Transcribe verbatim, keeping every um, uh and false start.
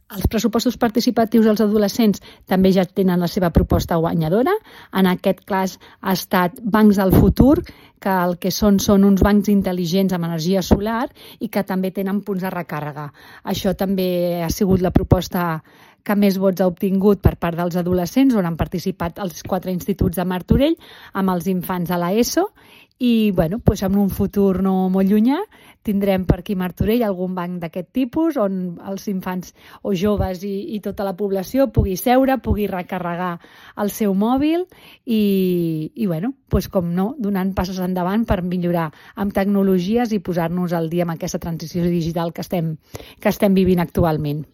Els pressupostos participatius dels adolescents també ja tenen la seva proposta guanyadora. En aquest cas ha estat Bancs del Futur, que el que són són uns bancs intel·ligents amb energia solar i que també tenen punts de recàrrega. Això també ha sigut la proposta que més vots ha obtingut per part dels adolescents, on han participat els quatre instituts de Martorell amb els infants de l'ESO. I bueno, doncs en un futur no molt llunyà tindrem per aquí a Martorell algun banc d'aquest tipus on els infants o joves i, i tota la població pugui seure, pugui recarregar el seu mòbil i, i bueno, doncs com no, donant passos endavant per millorar amb tecnologies i posar-nos al dia amb aquesta transició digital que estem, que estem vivint actualment.